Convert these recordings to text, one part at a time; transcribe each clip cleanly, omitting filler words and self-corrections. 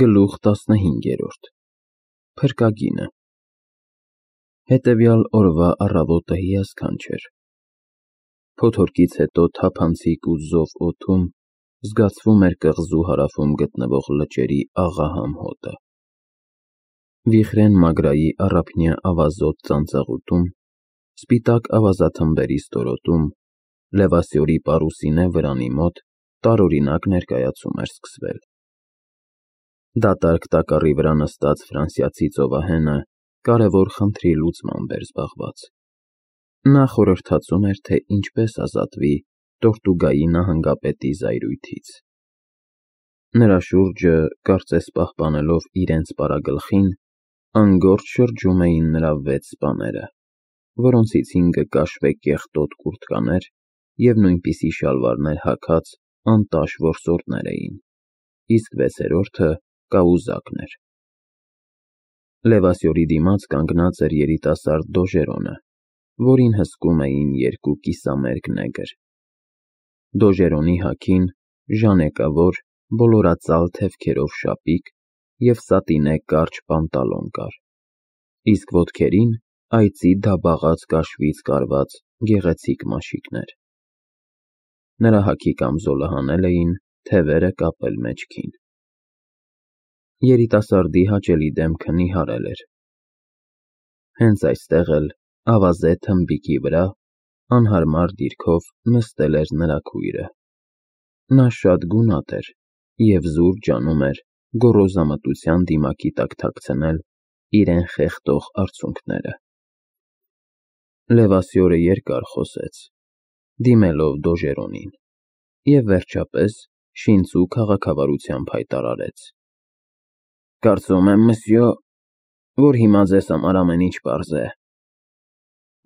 Գլուխ 15 Փրկագինը Հետևյալ օրվա առավոտը հիասքանչ էր։ Փոթորկից հետո թափանցիկ ու զով օդում զգացվում էր կղզու հարավում գտնվող լճերի աղահամ հոտը։ Վիխրեն Մագրայի առափնյա ավազոտ ծանծաղուտում, սպիտակ ավազաթմբերի ստորոտում, Լևասյորի պարուսինե վրանի մոտ տարօրինակ ներկայացում էր սկսվել։ Դատարկ տակառի վրա նստած ֆրանսիացի ծովահենը կարևոր խնդրի լուծմամբ էր զբաղված։ Նա խորհրդածում էր, թե ինչպես ազատվի Տորտուգայի նահանգապետի զայրույթից։ Նրա շուրջը, կարծես պահպանելով իրենց պարագլխին, անգործ շրջում էին նրա 6 սպաները, որոնցից 5-ը կաշվե կեղտոտ կուրտկաներ և նույնպիսի շալվարներ հագած անտաշ որսորդներ էին, իսկ 6-րդը կաուզակն էր։ Լևասյորի դիմաց կանգնած էր երիտասարդ Դոժերոնը, որին հսկում էին 2 կիսամերկ նեգր։ Դոժերոնի հագին ժանեկավոր, բոլորածալ թևքերով շապիկ և սատինե կարճ պանտալոն կար, իսկ ոտքերին այծի դաբաղած կաշվից կարված գեղեցիկ մաշիկներ։ Նրա հագի կամզոլը հանել էին, թևերը կապել մեջքին։ Երիտասարդի հաճելի դեմքը նիհարել էր։ Հենց այստեղ էլ, ավազե թմբիկի վրա, անհարմար դիրքով նստել էր նրա քույրը։ Նա շատ գունատ էր և զուր ջանում էր գոռոզամտության դիմակի տակ թաքցնել իրեն խեղդող արցունքները։ Լևասյորը երկար խոսեց, դիմելով Դոժերոնին, և վերջապես շինծու քաղաքավարությամբ հայտարարեց. Կարծում եմ, մսյո, որ հիմա ձեզ համար ամեն ինչ պարզ է,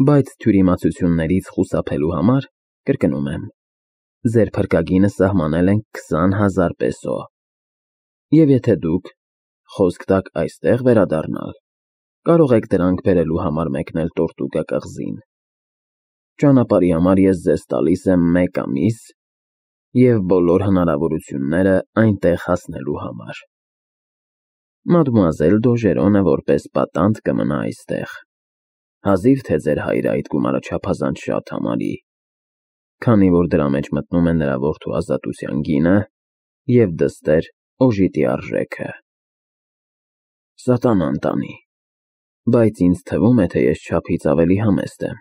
բայց թյուրիմացություններից խուսափելու համար կրկնում եմ, ձեր փրկագինը սահմանել ենք 20,000 պեսո, և եթե դուք խոսք տաք այստեղ վերադառնալ, կարող եք դրանք բերելու համար մեկնել Տորտուգա կղզին։ Ճանապարհի համար ես ձեզ տալիս եմ 1 ամիս և բոլոր հնարավորությունները այնտեղ հասնելու համար։ Մադմուազել Դոժերոնը որպես պատանդ կմնա այստեղ, հազիվ թե ձեր հայրը այդ գումարը չափազանց շատ համարի, քանի որ դրա մեջ մտնում է նրա որդու ազատության գինը և դստեր օժիտի արժեքը։ Սատանան տանի, բայց ինձ թվում է, թե ես չափից ավելի համեստ եմ,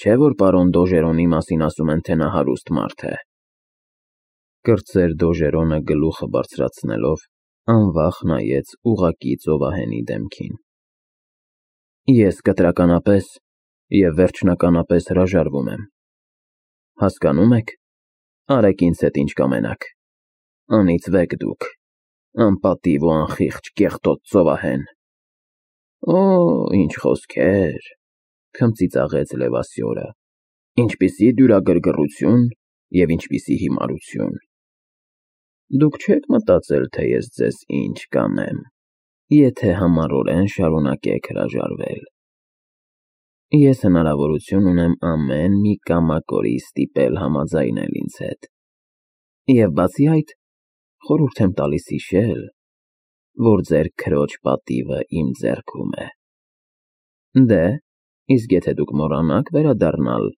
չէ՞ որ պարոն Դոժերոնի մասին ասում են, թե նա հարուստ մարդ է։ Կրտսեր Դոժերոնը գլուխը բարձրացնելով անվախ նայեց ուղղակի ծովահենի դեմքին։ Ես կտրականապես և վերջնականապես հրաժարվում եմ։ Հասկանո՞ւմ եք, արեք ինձ հետ ինչ կամենաք, անիծվեք դուք, անպատիվ ու անխիղճ կեղտոտ ծովահեն։ Օ, ինչ խոսքեր, քմծիծաղեց Լևասյորը, ինչպիսի դյուրագրգռություն և ինչպիսի հիմարություն։ Դուք չեք մտածել, թե ես ձեզ ինչ կանեմ, եթե համառորեն շարունակեք հրաժարվել։ Ես հնարավորություն ունեմ ամեն մի կամակորի ստիպել համաձայնել ինձ հետ, և բացի այդ, խորհուրդ եմ տալիս հիշել, որ ձեր քրոջ պատիվը իմ ձեռքում է։ Դե, իսկ եթե դուք մոռանաք վերադառնալ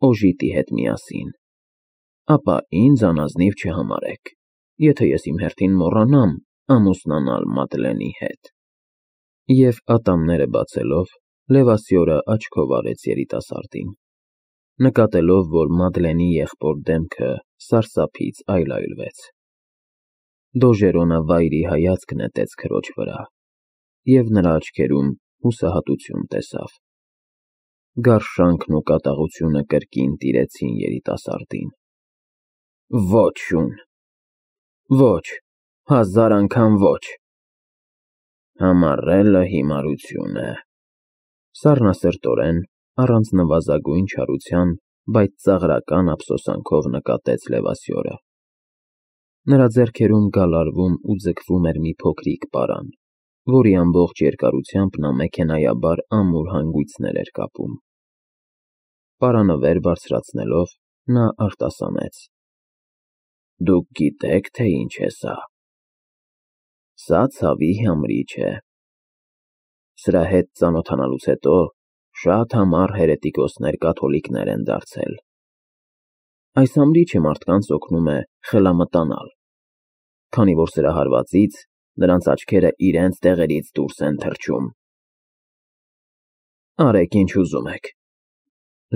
օժիտի հետ միասին, ապա ինձ անազնիվ չհամարեք, եթե ես իմ հերթին մոռանամ ամուսնանալ Մադլենի հետ։ Եվ ատամները բացելով, Լևասյորը աչքով արեց երիտասարդին, նկատելով, որ Մադլենի եղբոր դեմքը սարսափից այլայլվեց։ Դոժերոնը վայրի հայացք նետեց քրոջ վրա, և նրա աչքերում հուսահատություն տեսավ։ Գարշանքն ու կատաղությունը կրկին տիրեցին երիտասարդին։ Ոչ, շուն, ոչ, 1000 անգամ ոչ։ Համառելը հիմարություն է, սառնասրտորեն, առանց նվազագույն չարության, բայց ծաղրական ափսոսանքով նկատեց Լևասյորը։ Նրա ձեռքերում գալարվում ու ձգվում էր մի փոքրիկ պարան, որի ամբողջ երկարությամբ նա մեքենայաբար ամուր հանգույցներ էր կապում։ Պարանը վեր բարձրացնելով, նա արտասանեց. Դուք գիտեք, թե ինչ է սա։ Սա ցավի համրիչ է։ Սրա հետ ծանոթանալուց հետո շատ համառ հերետիկոսներ կաթոլիկներ են դարձել։ Այս համրիչը մարդկանց օգնում է խելամտանալ, քանի որ սրա հարվածից նրանց աչքերը իրենց տեղերից դուրս են թռչում։ Արեք ինչ ուզում եք։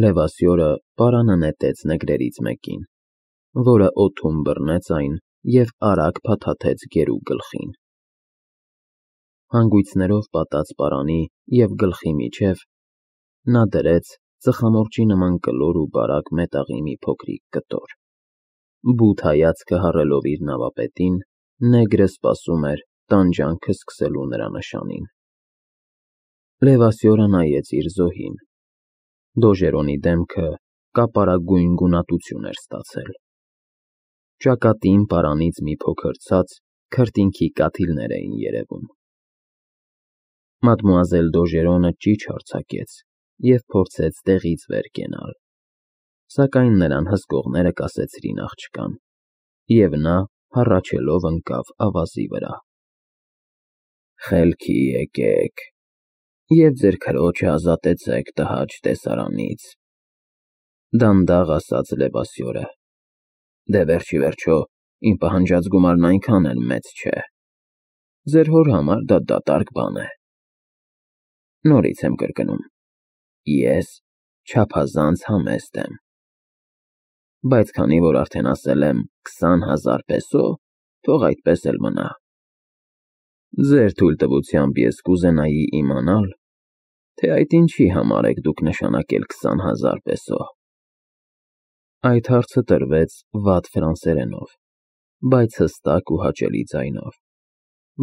Լևասյորը պարանը նետեց նեգրերից մեկին, որը օդում բռնեց այն և արագ փաթաթեց գերու գլխին։ Հանգույցներով պատած պարանի և գլխի միջև նա դրեց ծխամորճի նման կլոր ու բարակ մետաղի մի փոքրիկ կտոր։ Բութ հայացքը հառելով իր նավապետին, նեգրը սպասում էր տանջանքը սկսելու նրա նշանին։ Լևասյորը նայեց իր զոհին։ Դոժերոնի դեմքը կապարագույն գունատություն էր ստացել։ Ճակատին պարանից մի փոքր ցած քրտինքի կաթիլներ էին երևում։ Մադմուազել Դոժերոնը ճիչ արձակեց և փորձեց տեղից վեր կենալ, սակայն նրան հսկողները կասեցրին աղջկան, և նա հառաչելով ընկավ ավազի վրա։ Խելքի եկեք և ձեր քրոջը ազատեցեք տհաճ տեսարանից, դանդաղ ասաց Լևասյորը։ Դե վերջիվերջո իմ պահանջած գումարն այնքան էլ մեծ չէ։ Ձեր հոր համար դա դատարկ բան է։ Նորից եմ կրկնում, ես չափազանց համեստ եմ։ Բայց քանի որ արդեն ասել եմ 20,000 պեսո, թող այդպես էլ մնա։ Ձեր թույլտվությամբ ես կուզենայի իմանալ, թե այդ ինչի համար եք դուք նշանակել 20,000 պեսո։ Այդ հարցը տրվեց վատ ֆրանսերենով, բայց հստակ ու հաճելի ձայնով,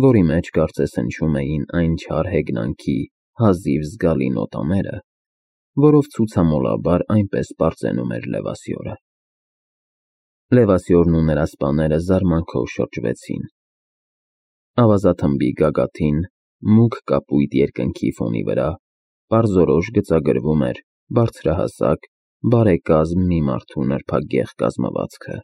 որի մեջ կարծես հնչում էին այն չար հեգնանքի հազիվ զգալի նոտաները, որով ցուցամոլաբար այնպես պարծենում էր Լևասյորը։ Լևասյորն ու նրա սպաները զարմանքով շրջվեցին։ Ավազաթմբի գագաթին մուգ կապույտ երկնքի ֆոնի վրա պարզորոշ գծագրվում էր բարձրահասակ, բարեկազմ մի մարդու նրբագեղ կազմվածքը,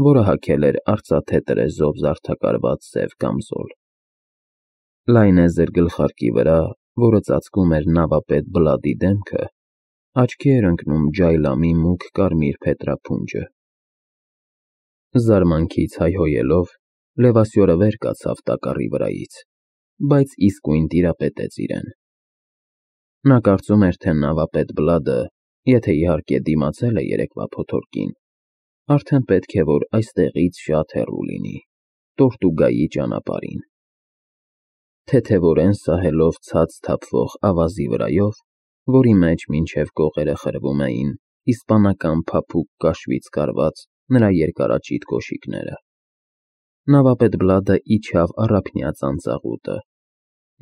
որը հագել էր արծաթե տրեզով զարդակարված սև կամզոլ։ Լայնեզր գլխարկի վրա, որը ծածկում էր նավապետ Բլադի դեմքը, աչքի էր ընկնում ջայլամի մուգ կարմիր փետրափունջը։ Զարմանքից հայհոյելով, Լևասյորը վեր կացավ տակառի վրայից, բայց իսկույն տիրապետեց իրեն։ Նա կարծում էր, թե նավապետ Բլադը, եթե իհարկե դիմացել է երեկվա փոթորկին, արդեն պետք է որ այստեղից շատ հեռու լինի, Տորտուգայի ճանապարհին։ Թեթևորեն սահելով ցած թափվող ավազի վրայով, որի մեջ մինչև կողերը խրվում էին իսպանական փափուկ կաշվից կարված նրա երկարաճիտ կոշիկները։ Նավապետ Բլադը իջավ առափնյա ծանծաղուտը։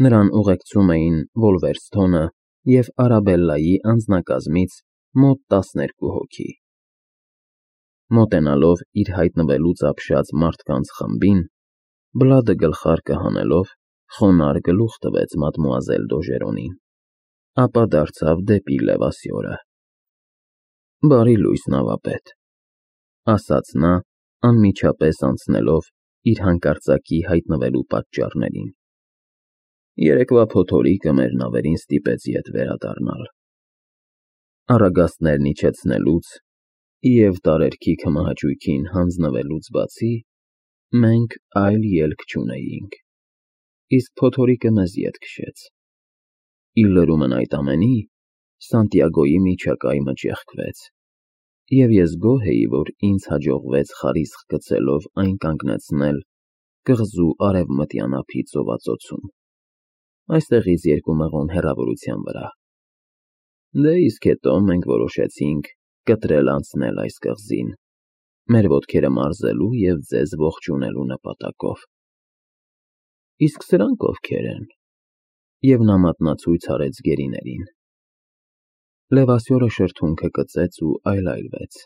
Նրան ուղեկցում էին Վոլվերստոնը և Արաբելլայի անձնակազմից մոտ 12 հոգի։ Մոտենալով իր հայտնվելուց ապշած մարդկանց խմբին, Բլադը գլխարկը հանելով խոնարհ գլուխ տվեց մադմուազել Դոժերոնին, ապա դարձավ դեպի Լևասյորը։ Բարի լույս, նավապետ, ասաց նա, անմիջապես անցնելով իր հանկարծակի հայտնվելու պատճառներին։ Երեկվա փոթորիկը մեր նավերին ստիպեց ետ վերադառնալ։ Առագաստներն իջեցնելուց և տարերքի քմահաճույքին հանձնվելուց բացի, մենք այլ ելք չունեինք, իսկ փոթորիկը մեզ ետ քշեց։ Ի լրումն այդ ամենի, Սանտիագոյի միջակայքը ճեղքվեց, և ես գոհ էի, որ ինձ հաջողվեց խարիսխ գցելով այն կանգնեցնել կղզու արևմտյան ափի ծովածոցում, այստեղից 2 մղոն հեռավորության վրա։ Դե իսկ հետո մենք որոշեցինք կտրել անցնել այս կղզին, մեր ոտքերը մարզելու և ձեզ ողջունելու նպատակով։ Իսկ սրանք ովքեր են։ Եվ նա մատնացույց արեց գերիներին։ Լևասյորը շրթունքը կծեց ու այլայլվեց,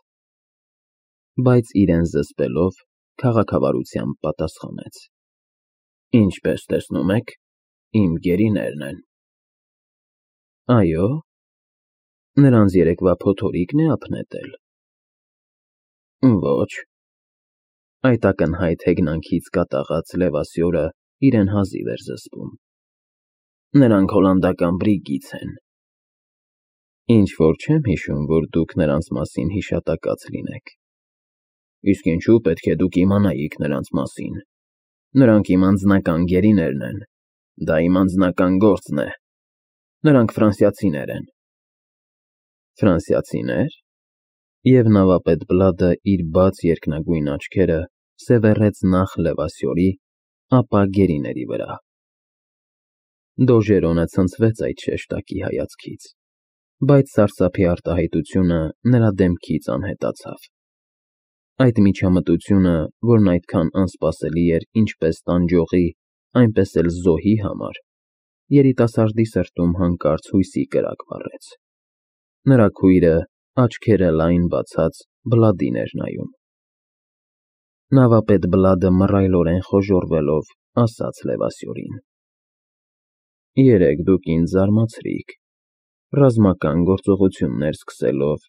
բայց իրեն զսպելով քաղաքավարությամբ պատասխանեց. Ինչպես տեսնում եք, իմ գերիներն են։ Այո, նրանց երեկվա փոթորիկն է ապնետել։ Ոչ։ Այդ ակնհայտ հեգնանքից կատաղած Լևասյորը իրեն հազիվ էր զսպում։ Նրանք հոլանդական բրիգից են։ Ինչ որ չեմ հիշում, որ դուք նրանց մասին հիշատակած լինեք։ Իսկ ինչու պետք է դուք իմանայիք նրանց մասին։ Նրանք իմ անձնական գերիներն են։ Դա իմ անձնական գործն է։ Նրանք ֆրանսիացիներ են։ Ֆրանսիացիներ։ Եվ նավապետ Բլադը իր բաց երկնագույն աչքերը սևեռեց նախ Լևասյորի, ապա գերիների վրա։ Դոժերոնը ցնցվեց այդ շեշտակի հայացքից, բայց սարսափի արտահայտությունը նրա դեմքից անհետացավ։ Այդ միջամտությունը, որն այդքան անսպասելի էր ինչպես տանջողի, այնպես էլ զոհի համար, երիտասարդի սրտում հանկարծ հույսի կրակ վառեց։ Նրա քույրը, աչքերը լայն բացած, Բլադին էր նայում։ Նավապետ Բլադը մռայլորեն խոժոռվելով ասաց Լևասյորին. Երեկ դուք ինձ զարմացրիք, ռազմական գործողություններ սկսելով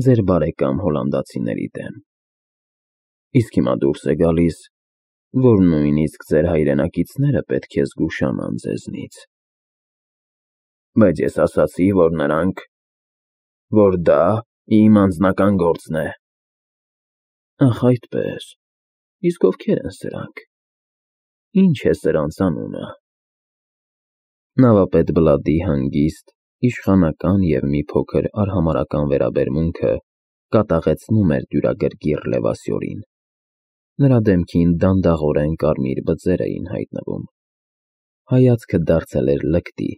ձեր բարեկամ հոլանդացիների դեմ։ Իսկ հիմա դուրս է գալիս, որ նույնիսկ ձեր հայրենակիցները պետք է զգուշանան ձեզնից։ Բայց ես ասացի, որ դա իմ անձնական գործն է։ Ախ, այդպես։ Իսկ ովքեր են սրանք։ Ինչ է սրանց անունը։ Նավապետ Բլադի հանգիստ, իշխանական և մի փոքր արհամարհական վերաբերմունքը կատաղեցնում էր դյուրագրգիռ Լևասյորին։ Նրա դեմքին դանդաղորեն կարմիր բծեր էին հայտնվում։ Հայացքը դարձել էր լկտի,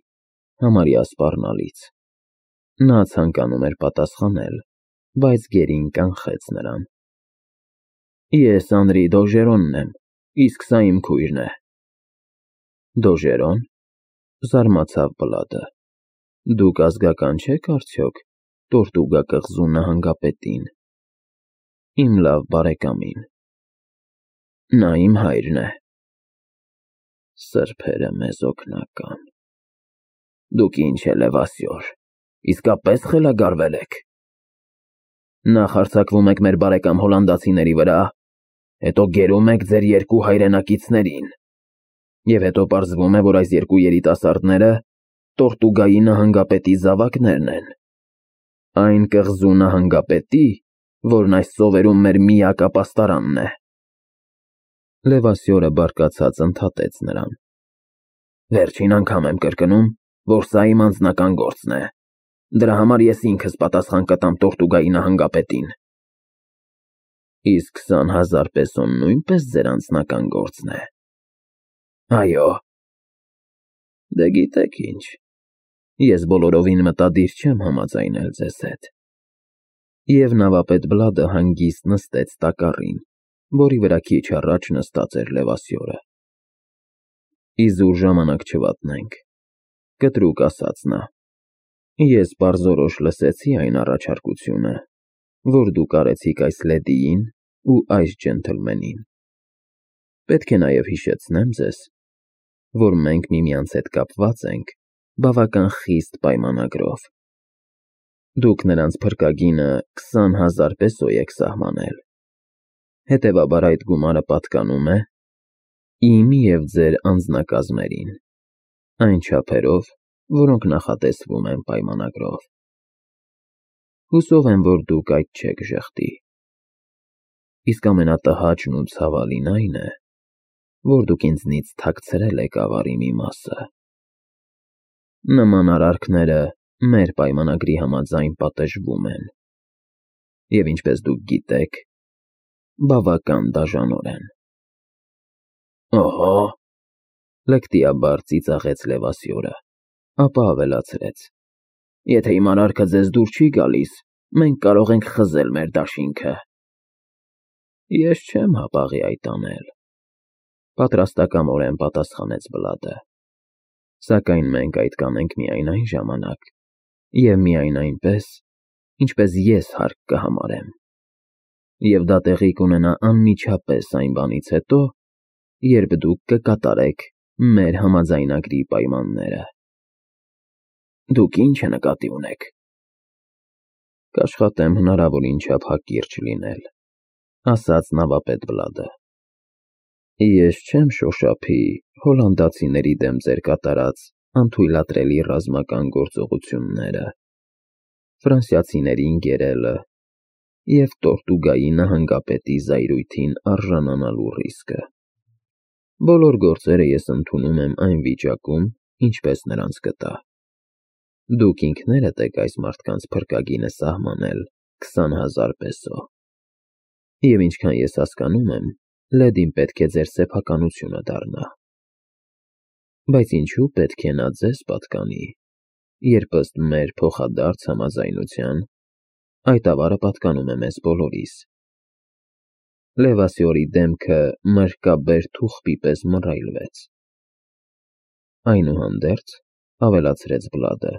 համարյա սպառնալից։ Նա ցանկանում էր պատասխանել, բայց գերին կանխեց նրան։ Ես Անրի Դոժերոնն եմ, իսկ սա իմ քույրն է։ Դոժերոն, զարմացավ Բլադը։ Դուք ազգական չեք արդյոք Տորտուգա կղզու նահանգապետին։ Իմ լավ բարեկամին։ Նա իմ հայրն է։ Սրբերը մեզ օգնական։ Դուք ինչ է, Լևասյոր, իսկապես խելագարվել եք։ Նախ հարձակվում եք մեր բարեկամ հոլանդացիների վրա, հետո գերում եք ձեր երկու հայրենակիցներին, և հետո պարզվում է, որ այս երկու երիտասարդները Տորտուգայի նահանգապետի զավակներն են։ Այն կղզու նահանգապետի, որն այս ծովերում մեր միակ ապաստարանն է։ Լևասյորը բարկացած ընդհատեց նրան։ Վերջին անգամ եմ կրկնում, որ սա իմ անձնական գործն է։ Դրա համար ես ինքս պատասխան կտամ Տորտուգայի նահանգապետին։ Իսկ 20,000 պեսոն նույնպես ձեր անձնական գործն է։ Այո։ Դե գիտեք ինչ, ես բոլորովին մտադիր չեմ համաձայնել ձեզ հետ։ Եվ նավապետ Բլադը հանգիստ նստեց տակառին, որի վրա քիչ առաջ նստած էր Լևասյորը։ Իզուր ժամանակ չվատնենք, կտրուկ ասաց նա։ Ես պարզորոշ լսեցի այն առաջարկությունը, որ դուք արեցիք այս լեդիին ու այս ջենթլմենին։ Պետք է նաև հիշեցնեմ ձեզ, որ մենք միմյանց հետ կապված ենք բավական խիստ պայմանագրով։ Դուք նրանց փրկագինը 20,000 պեսո եք սահմանել։ Հետևաբար այդ գումարը պատկանում է իմ և ձեր անձնակազմերին, այն չափերով, որոնք նախատեսվում են պայմանագրով։ Հուսով եմ, որ դուք այդ չեք ժխտի։ Իսկ ամենատհաճն ու ցավալին այն է, որ դուք ինձնից թաքցրել եք ավարի մի մասը։ Նման արարքները մեր պայմանագրի համաձայն պատժվում են։ Եվ ինչպես դուք գիտեք, բավական դաժանորեն։ Օհո, լկտիաբար ծիծաղեց Լևասյորը, ապա ավելացրեց. Եթե իմ արարքը ձեզ դուր չի գալիս, մենք կարող ենք խզել մեր դաշինքը։ Ես չեմ հապաղի այդ անել, պատրաստակամորեն պատասխանեց Բլադը։ Սակայն մենք այդ կանենք միայն այն ժամանակ, և միայն այնպես, ինչպես ես հարկ կհամարեմ։ Եվ դա տեղի կունենա անմիջապես այն բանից հետո, երբ դուք կկատարեք մեր համաձայնագրի պայմանները։ Դուք ինչ է նկատի ունեք։ Կաշխատեմ հնարավորին չափ հակիրճ լինել, ասաց նավապետ Բլադը։ Ես չեմ շոշափի հոլանդացիների դեմ ձեր կատարած անթույլատրելի ռազմական գործողությունները, ֆրանսիացիներին գերելը և Տորտուգայի նահանգապետի զայրույթին արժանանալու ռիսկը։ Բոլոր գործերը ես ընդունում եմ այն վիճակում, ինչպես նրանց կտա։ Դուք ինքներդ եք այս մարդկանց փրկագինը սահմանել 20,000 պեսո։ Եվ ինչքան ես հասկանում եմ, լեդին պետք է ձեր սեփականությունը դառնա։ Բայց ինչու պետք է նա ձեզ պատկանի, երբ ըստ մեր փոխադարձ համաձայնության այդ ավարը պատկանում է մեզ բոլորիս։ Լևասյորի դեմքը մրրկաբեր թուղթի պես մռայլվեց։ Այնուհանդերձ, ավելացրեց Բլադը,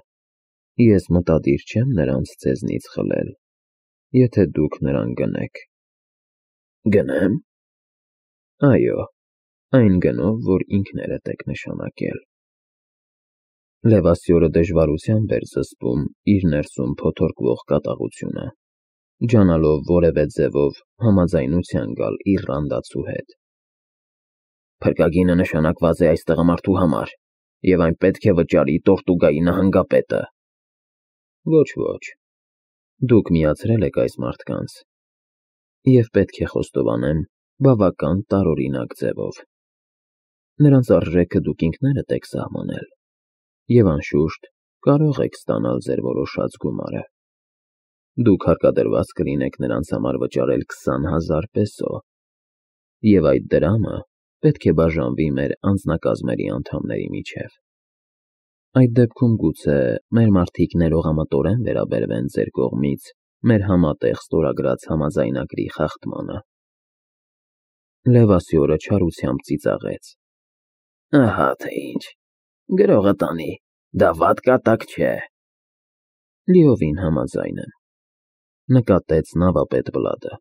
ես մտադիր չեմ նրանց ձեզնից խլել, եթե դուք նրան գնեք։ Գնեմ։ Այո, այն գնով, որ ինքներդ եք նշանակել։ Լևասյորը դժվարությամբ էր զսպում իր ներսում փոթորկվող կատաղությունը, ջանալով որևէ ձևով համաձայնության գալ իռլանդացու հետ։ Փրկագինը նշանակված է այս տղամարդու համար, և այն պետք է վճարի Տորտուգայի նահանգապետը։ Ոչ, դուք միացրել եք այս մարդկանց, և պետք է խոստովանեմ, բավական տարօրինակ ձևով։ Նրանց արժեքը դուք ինքներդ եք սահմանել, և անշուշտ կարող եք ստանալ ձեր որոշած գումարը։ Դուք հարկադրված կլինեք նրանց համար վճարել 20,000 պեսո, և այդ դրամը պետք է բաժանվի մեր անձնակազմերի անդամների միջև։ Այդ դեպքում գուցե մեր մարդիկ ներողամտորեն վերաբերվեն ձեր կողմից մեր համատեղ ստորագրած համաձայնագրի խախտմանը։ Լևասյորը չարությամբ ծիծաղեց։ Ահա թե ինչ, գրողը տանի, դա վատ կատակ չէ։ Լիովին համաձայն եմ, նկատեց նավապետ Բլադը։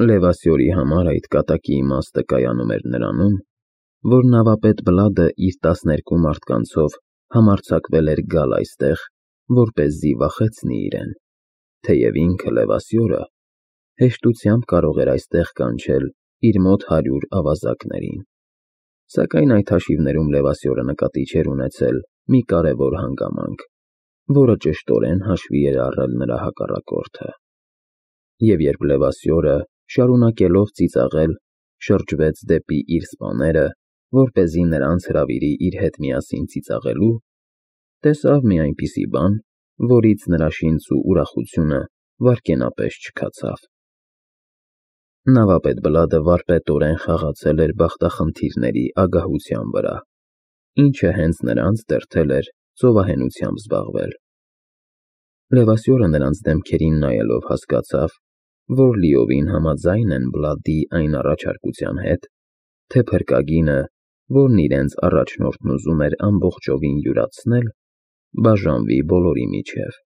Լևասյորի համար այդ կատակի իմաստը կայանում էր նրանում, որ նավապետ Բլադը իր 12 մարդկանցով համարձակվել էր գալ այստեղ, որպեսզի վախեցնի իրեն, թեև ինքը Լևասյորը հեշտությամբ կարող էր այստեղ կանչել իր մոտ 100 ավազակներին։ Սակայն այդ հաշիվներում Լևասյորը նկատի չէր ունեցել մի կարևոր հանգամանք, որը ճշտորեն հաշվի էր առել նրա հակառակորդը։ Եվ երբ Լևասյորը, շարունակելով ծիծաղել, շրջվեց դեպի իր սպաները, որպեսզի նրանց հրավիրի իր հետ միասին ծիծաղելու, տեսավ մի այնպիսի բան, որից նրա շինծու ուրախությունը վայրկենապես չքացավ։ Նավապետ Բլադը վարպետորեն խաղացել էր բախտախնդիրների ագահության վրա, ինչը հենց նրանց դրդել էր ծովահենությամբ զբաղվել։ Լևասյորը նրանց դեմքերին նայելով հասկացավ, որ լիովին համաձայն են Բլադի այն առաջարկության հետ, թե փրկագինը, որն իրենց առաջնորդն ուզում էր ամբողջովին յուրացնել, բաժանվի բոլորի միջև։